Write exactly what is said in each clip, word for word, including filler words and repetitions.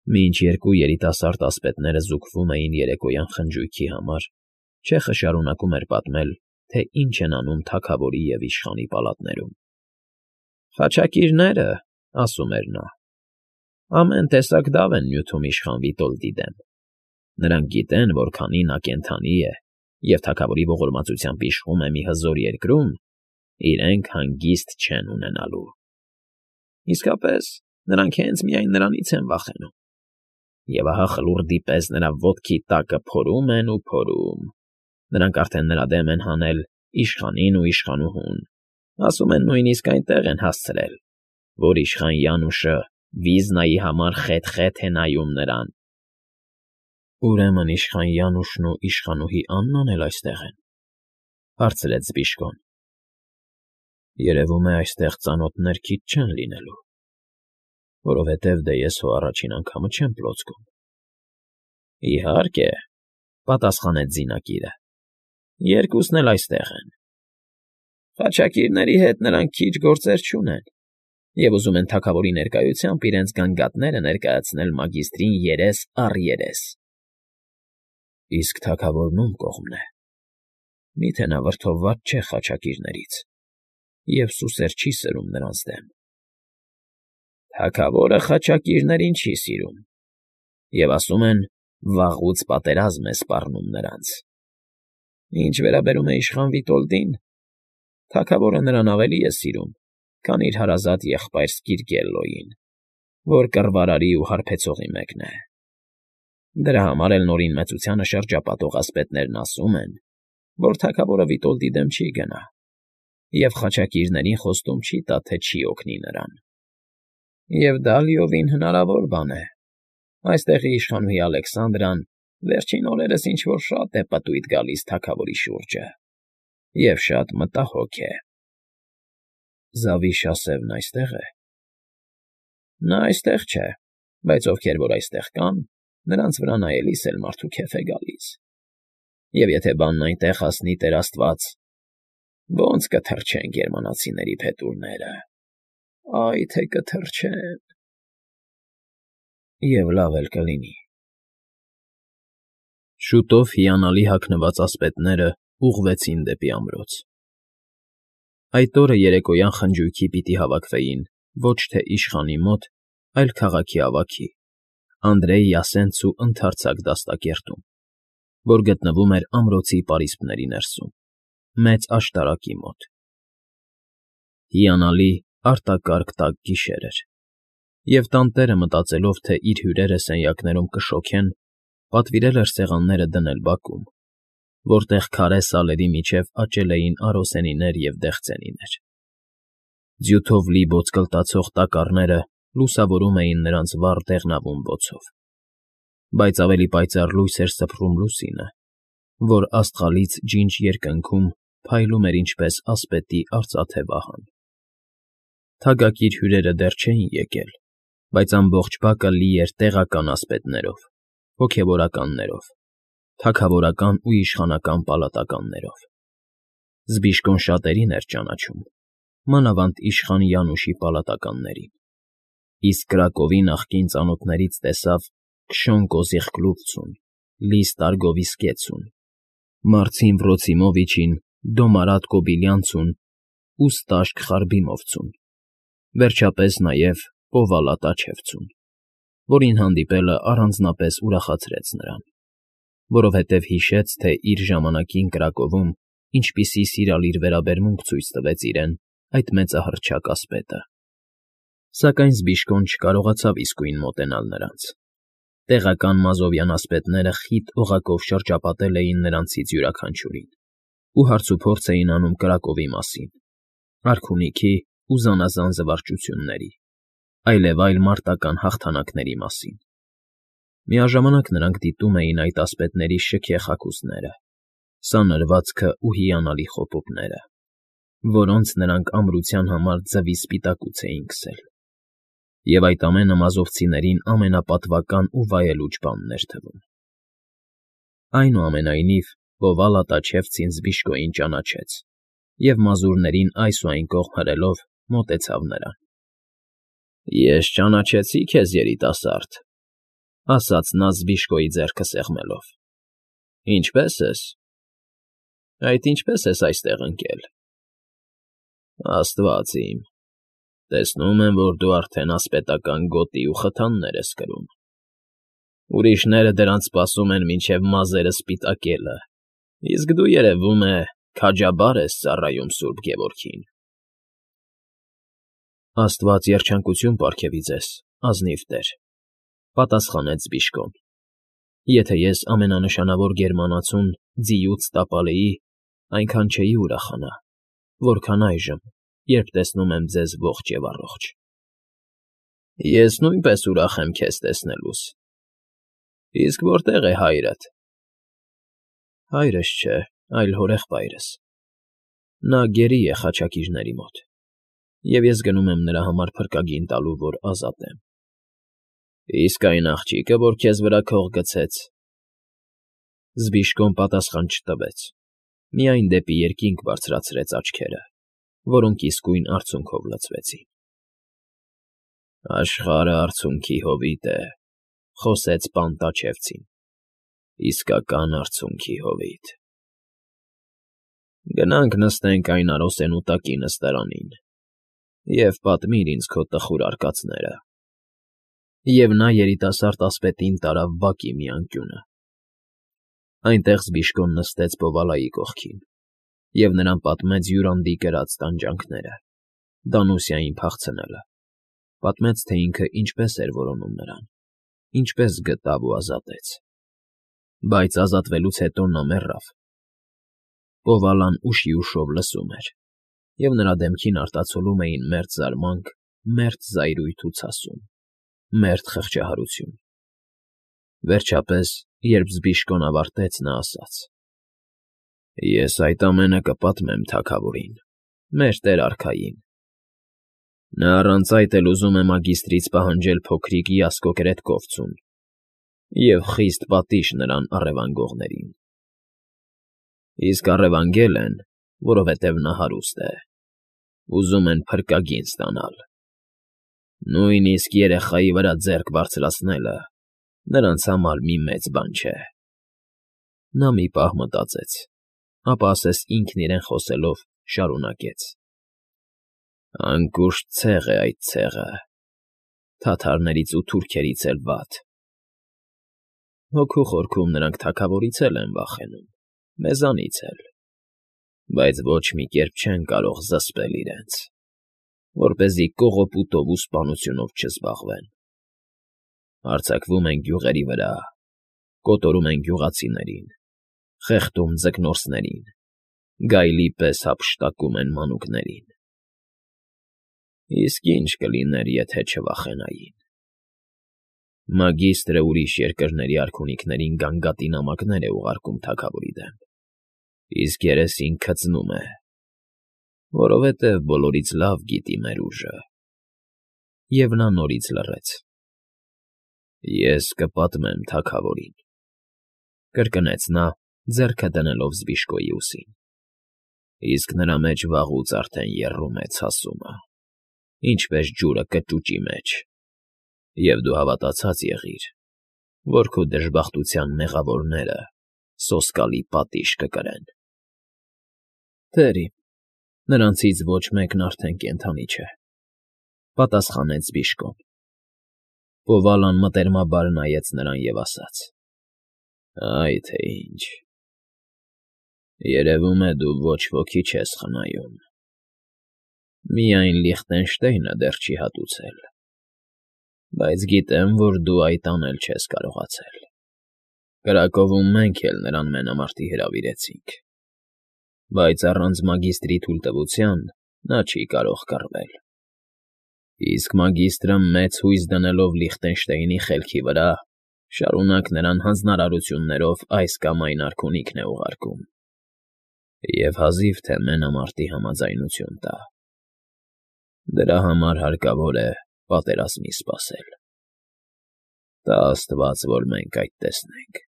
Մինչ երկու երիտասարդ ասպետները զուգվում էին երեկոյան խնջույքի համար, չեխը շարունակում էր պատմել, թե ինչ են անում թագավորի և իշխանի պալատներում։ «Խաչակիրները, — ասում էր նա, — ամեն տեսակ դավ են նյութում իշխան Վիտոլդի դեմ. նրանք գիտեն, որ քանի նա կենդանի է և թագավորի ողորմածությամբ իշխում է մի հզոր երկրում, իրենք հանգիստ չեն ունենալու։ Իսկապես, նրանք հենց միայն նրանից են վախենում, և ահա խլուրդի պես նրա ոտքի տակը փորում են ու փորում. նրանք արդեն նրա դեմ են հանել իշխանին ու իշխանուհուն, ասում են նույնիսկ այնտեղ են հասցրել, որ իշխան Յանուշը վիզնայի համար խեթ֊խեթ է նայում նրան»։ «Ուրեմն իշխան Յանուշն ու իշխանուհի Աննան էլ այստեղ են,֊ հարցրեց Զբիշկոն։ Երևում է, այստեղ ծանոթներ քիչ չեն լինելու, որովհետև դե ես հո առաջին անգամը չեմ պլոցկում։ ֊ Իհարկե,֊ պատասխանեց զինակիրը,֊ երկուսն էլ այստեղ են։ Խաչակիրների հետ նրանք քիչ գործեր չունեն և ուզում են թագավորի ներկայությամբ իրենց գանգատները ներկայացնել մագիստրին երես առ երես։ ֊ Իսկ թագավորն ում կողմն է։ Մի՞թե նա վրդովված չէ խաչակիրներից և սուսեր չի սրում նրանց դեմ։ ֊ Թագավորը խաչակիրներին չի սիրում և, ասում են, վաղուց պատերազմ է սպառնում նրանց։ Ինչ վերաբերում է իշխան Վիտոլդին, թագավորը նրան ավելի է սիրում, քան իր հարազատ եղբայր Սկիրկելլոյին, որ կռվարարի ու հարբեցողի մեկն է։ Դրա համար էլ Նորին մեծությանը շրջապատող ասպետներն ասում են, որ թագավորը Վիտոլդի դեմ չի գնա և խաչակիրներին խոստում չի տա, թե չի օգնի նրան։ Եվ դա լիովին հնարավոր բան է։ Այստեղի իշխանուհի Ալեքսանդրան վերջին օրերս ինչ֊որ շատ է պտույտ գալիս թագավորի շուրջը և շատ մտահոգ է։ ֊ Զավիշասևն այստե՞ղ է։ ֊ Նա այստեղ չէ, բայց ովքեր որ այստեղ կան, նրանց վրա նայելիս էլ մարդու քեֆ է գալիս։ Եվ եթե բանն այնտեղ հասնի, տեր աստված, ո՜նց կթռչեն գերմանացիների փետուրները, այ թե կթռչեն… Եվ լավ էլ կլինի։ Շուտով հիանալի հագնված ասպետներն ուղղվեցին դեպի ամրոց։ Այդ օրը երեկոյան խնջույքի պիտի հավաքվեին ոչ թե իշխանի մոտ, այլ քաղաքի ավագի՝ Անդրեյ Յասենցու ընդարձակ դաստակերտում, որ գտնվում էր ամրոցի պարիսպների ներսում, մեծ աշտարակի մոտ։ Հիանալի, արտակարգ տաք գիշեր էր, և տանտերը, մտածելով, թե իր հյուրերը սենյակներում կշոգեն, պատվիրել էր սեղանները դնել բակում, որտեղ քարե սալերի միջև աճել էին արոսենիներ և դեղցենիներ։ Ձյութով լի ոսկլտացող տակառները լուսավորում էին նրանց վառ դեղնավուն բոցով, բայց ավելի պայծառ լույս էր սփռում լուսինը, որ աստղալից ջինջ երկնքում փայլում էր ինչպես ասպետի արծաթե վահան։ Թագակիր հյուրերը դեռ չէին եկել, բայց ամբողջ բակը լի էր տեղական ասպետներով, հոգևորականներով, թագավորական ու իշխանական պալատականներով։ Զբիշկոն շատերին էր ճանաչում, մանավանդ իշխան Յանուշի պալատականներին, իսկ Կրակովի նախկին ծանոթներից տեսավ Քշոն Կոզիխկլուֆցուն, Լիս Տարգովիսկեցուն, Մարցին Վրոցիմովիչին, Դոմարատ Կոբիլյանցուն ու Ստաշկ Խարբիմովցուն, վերջապես նաև Պովալա Տաչևցուն, որին հանդիպելը առանձնապես ուրախացրեց նրան, որովհետև հիշեց, թե իր ժամանակին Կրակովում ինչպիսի սիրալիր վերաբերմունք ցույց տվեց իրեն այդ մեծահռչակ ասպետը։ Սակայն Զբիշկոն չկարողացավ իսկույն մոտենալ նրանց։ Տեղական մազովյան ասպետները խիտ օղակով շրջապատել էին նրանցից յուրաքանչյուրին ու հարցուփորձ էին անում Կրակովի մասին, արքունիքի ու զանազան զվարճությունների, այլևայլ մարտական հաղթանակների մասին։ Միաժամանակ նրանք դիտում էին այդ ասպետների շքեղ հագուստները, սանրվածքը ու հիանալի խոպուկները, որոնց նրանք ամրության համար ձվի սպիտակուց էին քսել, և այդ ամենը մազովցիներին ամենապատվական ու վայելուչ բանն էր թվում։ Այնուամենայնիվ, Պովալա Տաչևցին Զբիշկոյին ճանաչեց և մազուրներին այս ու այն կողմ հրելով մոտեցավ նրան։ ֊ Ես ճանաչեցի քեզ, երիտասարդ, ասաց նա Զբիշկոյի ձեռքը սեղմելով։ Ինչպե՞ս ես։ Այդ ինչպե՞ս ես այստեղ ընկել։ Աստված իմ, տեսնում եմ, որ դու արդեն ասպետական գոտի ու խթաններ ես կրում։ Ուրիշները դրանց սպասում են մինչև մազերը սպիտակելը, իսկ դու, երևում է, քաջաբար ես ծառայում սուրբ Գևորգին։ Աստված երջանկություն պարգևի ձեզ, ազնիվ տեր, պատասխանեց Զբիշկոն։ Եթե ես ամենանշանավոր գերմանացուն ձիուց տապալեի, այնքան չէի ուրախանա, որքան այժմ, երբ տեսնում եմ ձեզ ողջ և առողջ։ Ես նույնպես ուրախ եմ քեզ տեսնելուս։ Իսկ որտե՞ղ է հայրդ։ Հայրս չէ, այլ հորեղբայրս։ Նա գերի է խաչակիրների մոտ, և ես գնում եմ նրա համար փրկագին տալու, որ ազատեմ։ Իսկ այն աղջիկը, որ քեզ վրա քող գցեց։ Զբիշկոն պատասխան չտվեց, միայն դեպի երկինք բարձրացրեց աչքերը, որոնք իսկույն արցունքով լցվեցին։ Աշխարհը արցունքի հովիտ է, խոսեց Պանտաչևցին, իսկական արցունքի հովիտ։ Գնանք նստենք այն արոսենու տակի նստարանին և պատմիր ինձ քո տխուր արկածները։ Եվ նա երիտասարդ ասպետին տարավ բակի մի անկյունը։ Այնտեղ Զբիշկոն նստեց Բովալայի կողքին և նրան պատմեց յուրանդի կրած տանջանքները, Դանուսիային փախցնելը, պատմեց, թե ինքը ինչպես էր որոնում նրան, ինչպես գտավ ու ազատեց։ Բայց ազատվելուց հետո նա մեռավ։ Բովալան ուշիուշով լսում էր, և նրա դեմքին արտացոլում էին մերթ զարմանք, մերթ զայրույթ ու ցասում, մերթ խղճահարություն։ Վերջապես, երբ Զբիշկոն ավարտեց, նա ասաց. Ես այդ ամենը կպատմեմ թագավորին, մեր տեր֊արքային։ Նա առանց այդ էլ ուզում է մագիստրից պահանջել փոքրիկ Յասկօ կրետկովցուն և խիստ պատիժ նրան առևանգողներին։ Իսկ առևանգել են, որովհետև նա հարուստ է, ուզում են փրկագին ստանալ։ Նույնիսկ երեխայի վրա ձեռք բարձրացնելը նրանց համար մի մեծ բան չէ։ Նա մի պահ մտածեց, ապա ասես ինքն իրեն խոսելով շարունակեց. Անկուշտ ցեղ է այդ ցեղը, թաթարներից ու թուրքերից էլ վատ։ Հոգու խորքում նրանք թագավորից էլ են վախենում, մեզանից էլ, բայց ոչ մի կերպ չեն կարող զսպել իրենց, որպեսզի կողոպուտով ու սպանությունով չզբաղվեն։ Հարձակվում են գյուղերի վրա, կոտորում են գյուղացիներին, խեղդում ձկնորսներին, գայլի պես հափշտակում են մանուկներին։ Իսկ ի՞նչ կլիներ, եթե չվախենային։ Մագիստրը ուրիշ երկրների արքունիքներին գանգատի նամակներ է ուղարկում թագավորի դեմ, իսկ երեսին քծնում է, որովհետև բոլորից լավ գիտի մեր ուժը։ Եվ նա նորից լռեց։ Ես կպատմեմ թագավորին, կրկնեց նա, ձեռքը դնելով Զբիշկոյի ուսին, իսկ նրա մեջ վաղուց արդեն եռում է ցասումը, ինչպես ջուրը կճուճի մեջ, և դու հավատացած եղիր, որ քո դժբախտության մեղավորները սոսկալի պատիժ կկրեն։ Տեր իմ, նրանցից ոչ մեկն արդեն կենդանի չէ, պատասխանեց Զբիշկոն։ Բովալան մտերմաբար նայեց նրան և ասաց. Այ թե ինչ։ Երևում է, դու ոչ ոքի չես խնայում։ Միայն Լիխտենշտեյնը դեռ չի հատուցել, բայց գիտեմ, որ դու այդ անել չես կարողացել։ Կրակովում մենք էլ նրան մենամարտի հրավիրեցինք, բայց առանց մագիստրի թույլտվության նա չի կարող կռվել։ Իսկ մագիստրը մեծ հույս դնելով Լիխտենշտեյնի խելքի վրա, շարունակ նրան հանձնարարություններով այս կամ այն արքունիքն է ուղարկում, և հազիվ թե մենամարտի համաձայնություն տա։ Դրա համար հարկավոր է պատերազմի սպասել։ Տա աստված, որ մենք այդ տեսնենք։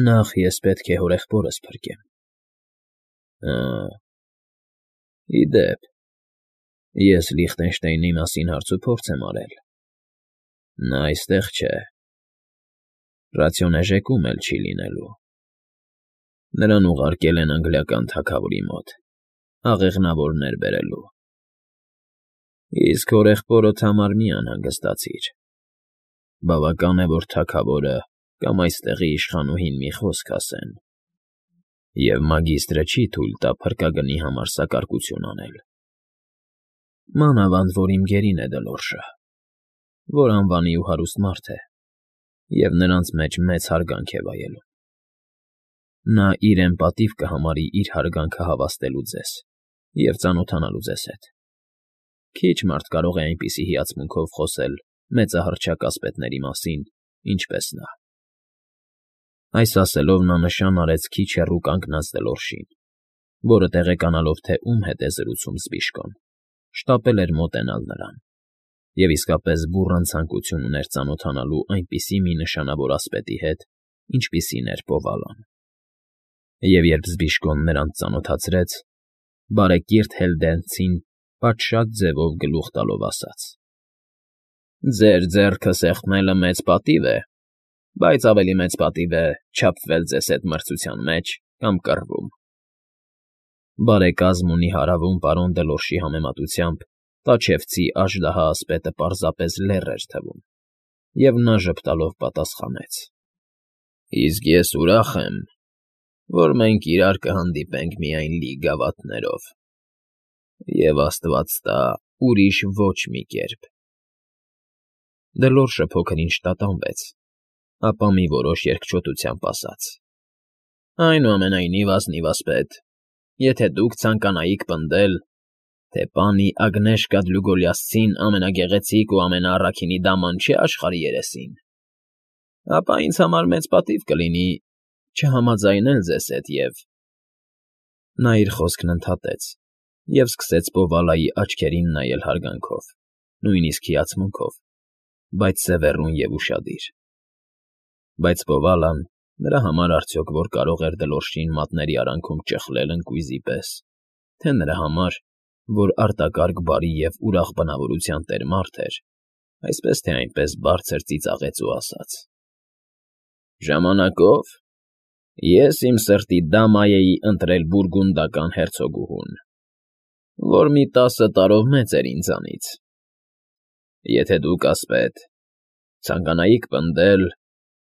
Նախ ես պետք է հորեղբորս փրկեմ։ Հը, ի դեպ, ես Լիխտենշտեյնի մասին հարցուփորձ եմ արել։ Նա այստեղ չէ։ Ռացիոնեժեկում էլ չի լինելու։ Նրան ուղարկել են անգլիական թագավորի մոտ, աղեղնավորներ բերելու։ Իսկ հորեղբորդ համար մի անհանգստացիր. բավական է, որ թագավորը կամ այստեղի իշխանուհին մի խոսք ասեն, և մագիստրը չի թույլ տա փրկագնի համար սակարկություն անել։ Մանավանդ որ իմ գերին է Դլորշը, որ անվանի ու հարուստ մարդ է, և նրանց մեջ մեծ հարգանք է վայելում։ Նա իրեն պատիվ կհամարի իր հարգանքը հավաստելու ձեզ և ծանոթանալու ձեզ հետ։ Քիչ մարդ կարող է այնպիսի հիացմունքով խոսել մեծահռչակ ասպետների մասին, ինչպես նա։ Այս ասելով նա նշան արեց քիչ հեռու կանգնած Դլորշին, որը տեղեկանալով, թե ում հետ է զրուցում Զբիշկոն, շտապել էր մոտենալ նրան, և իսկապես բուռն ցանկություն ուներ ծանոթանալու այնպիսի մի նշանավոր ասպետի հետ, ինչպիսին էր Պովալան։ Եվ երբ Զբիշկոն նրան ծանոթացրեց, բարեկիրթ Հեյլդենցին պատշաճ ձևով գլուխ տալով ասաց. «Ձեր ձեռքը սեղմելը մեծ պատիվ է, բայց ավելի մեծ պատիվ է չափվել ձեզ հետ մրցության մեջ կամ կռվում»։ Բարեկազմ ու նիհարավում պարոն Դլորշի համեմատությամբ տաչևցի աժդահա ասպետը պարզապես լեռ էր թվում, և նա ժպտալով պատասխանեց. «Իսկ ես ուրախ եմ, որ մենք իրար կհանդիպենք միայն լի գավաթներով, և աստված տա ուրիշ ոչ մի կերպ»։ Դլորշը փոքր֊ինչ տատանվեց, ապա մի որոշ երկչոտությամբ ասաց. «Այնուամենայնիվ, ազնիվ ասպետ, եթե դուք ցանկանայիք պնդել, թե պանի Ագնեշկա Դլուգոլիասցին ամենագեղեցիկ ու ամենաառաքինի դաման չէ աշխարհի երեսին, ապա ինձ համար մեծ պատիվ կլինի չհամաձայնել ձեզ հետ և…» Նա իր խոսքն ընդհատեց և սկսեց Պովալայի աչքերին նայել հարգանքով, նույնիսկ հիացմունքով, բայց սևեռուն և ուշադիր։ Բայց Պովալան, նրա համար արդյոք որ կարող էր Դլորշին մատների արանքում ճխլել ընկույզի պես, թե նրա համար, որ արտակարգ բարի և ուրախ բնավորության տեր մարդ էր, այսպես թե այնպես բարձր ծիծաղեց ու ասաց. «Ժամանակով ես իմ սրտի դամայեի ընտրել բուրգունդական հերցոգուհուն, որ մի տասը տարով մեծ էր ինձանից։ Եթե դուք, ասպետ, ցանկանայիք պնդել,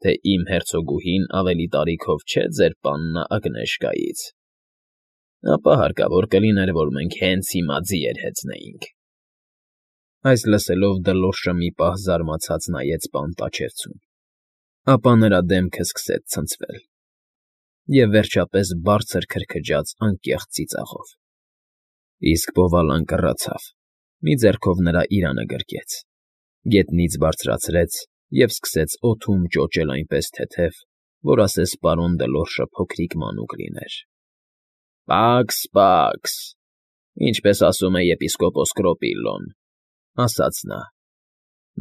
թե իմ հերցոգուհին ավելի տարիքով չէ ձեր պաննա Ագնեշկայից, ապա հարկավոր կլիներ, որ մենք հենց հիմա ձիեր հեծնեինք»։ Այս լսելով Դլորշը մի պահ զարմացած նայեց պան Տաչևցուն, ապա նրա դեմքը սկսեց ցնցվել, և վերջապես բարձր քրքջաց անկեղծ ծիծաղով։ Իսկ Պովալան կռացավ, մի ձեռքով նրա իրանը գրկեց, գետնից բարձրացրեց և սկսեց օդում ճոճել այնպես թեթև, որ ասես պարոն Դլորշը փոքրիկ մանուկ լիներ. «Պաքս, պաքս, ինչպես ասում է եպիսկոպոս Կրոպիլլոն», ասաց նա,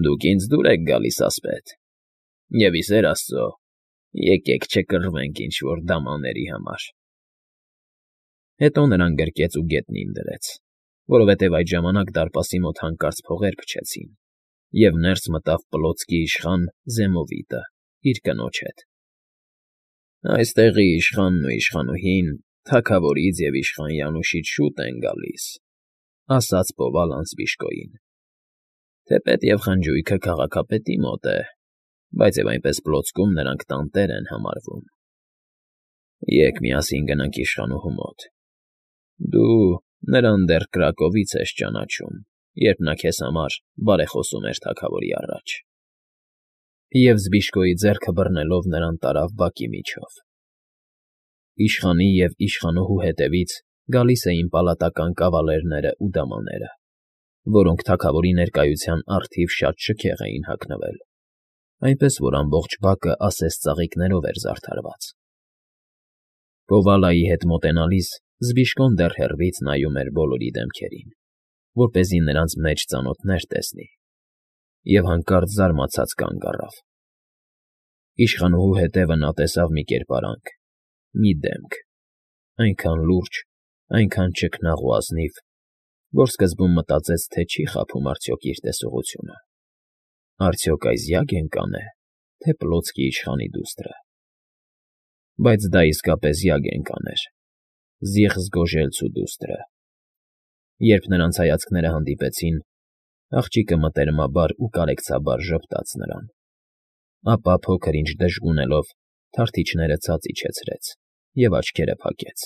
«դուք ինձ դուր եք գալիս, ասպետ, և, ի սեր աստծո, եկեք չկռվենք ինչ֊որ դամաների համար»։ Հետո նրան գրկեց ու գետնին դրեց, որովհետև այդ ժամանակ դարպասի մոտ հանկարծ փողեր փչեցին, և ներս մտավ պլոցքի իշխան Զեմովիտը իր կնոջ հետ։ «Այստեղի իշխանն ու իշխանուհին թագավորից և իշխան Յանուշից շուտ են գալիս», ասաց Պովալան Զբիշկոյին, «թեպետ և խնջույքը քաղաքապետի մոտ է, բայց և այնպես պլոցքում նրանք տանտեր են համարվում։ Եկ միասին գնանք իշխանուհու մոտ. դու նրան դեռ Կրակովից ես ճանաչում, երբ նա քեզ համար բարեխոսում էր թագավորի առաջ»։ Եվ Զբիշկոյի ձեռքը բռնելով նրան տարավ բակի միջով։ Իշխանի և իշխանուհու հետևից գալիս էին պալատական կավալերներն ու դամաները, որոնք թագավորի ներկայության առթիվ շատ շքեղ էին հագնվել, այնպես որ ամբողջ բակը ասես ծաղիկներով էր զարդարված։ Պովալայի հետ մոտենալիս Զբիշկոն դեռ հեռվից նայում էր բոլորի դեմքերին, որպեսզի նրանց մեջ ծանոթներ տեսնի, և հանկարծ զարմացած կանգ առավ։ Իշխանուհու հետևը նա տեսավ մի կերպարանք, մի դեմք, այնքան լուրջ, այնքան ճքնաղ ու ազնիվ, որ սկզբում մտածեց, թե չի խաբում արդյոք իր տեսողությունը։ Արդյոք այս յագեն֊կան է, թե Պլոցկի իշխանի դուստրը… Բայց դա իսկապես յագեն֊կան էր, Զիղս֊Գոժելցու դուստրը… Երբ նրանց հայացքները հանդիպեցին, աղջիկը մտերմաբար ու կարեկցաբար ժպտաց նրան, ապա փոքր֊ինչ դժգունելով թարթիչները ցած իջեցրեց և աչքերը փակեց.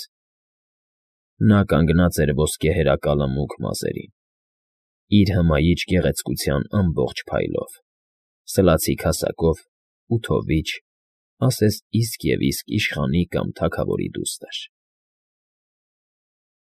նա կանգնած էր ոսկեհերակալը մուգ մազերին, իր հմայիչ գեղեցկության ամբողջ փայլով, սլացիկ հասակով ու թովիչ, ասես իսկ և իսկ իշխանի կամ թագավորի դուստր։